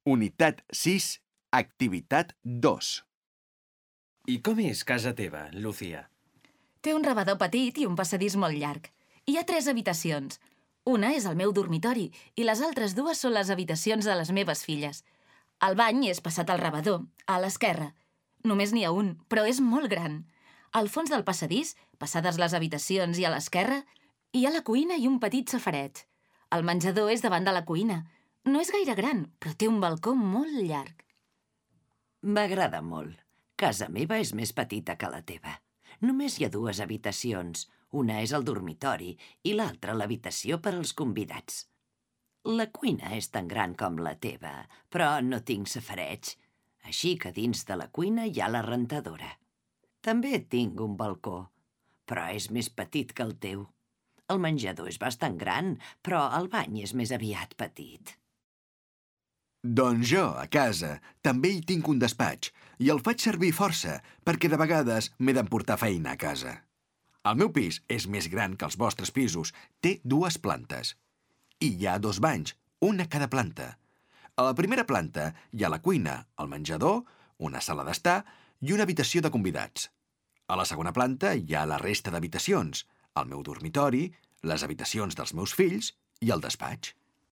Unitat 6, activitat 2. I com és casa teva, Lucía? Té un rebedor petit i un passadís molt llarg. Hi ha 3 habitacions. Una és el meu dormitori i les altres 2 són les habitacions de les meves filles. El bany és passat al rebedor, a l'esquerra. Només n'hi ha un, però és molt gran. Al fons del passadís, passades les habitacions i a l'esquerra, hi ha la cuina i un petit safareig. El menjador és davant de la cuina. No és gaire gran, però té un balcó molt llarg. M'agrada molt. Casa meva és més petita que la teva. Només hi ha 2 habitacions. Una és el dormitori i l'altra l'habitació per als convidats. La cuina és tan gran com la teva, però no tinc safareig. Així que dins de la cuina hi ha la rentadora. També tinc un balcó, però és més petit que el teu. El menjador és bastant gran, però el bany és més aviat petit. Doncs jo, a casa, també hi tinc un despatx i el faig servir força perquè de vegades m'he d'emportar feina a casa. El meu pis és més gran que els vostres pisos, té 2 plantes. I hi ha 2 banys, un a cada planta. A la primera planta hi ha la cuina, el menjador, una sala d'estar i una habitació de convidats. A la segona planta hi ha la resta d'habitacions, el meu dormitori, les habitacions dels meus fills i el despatx.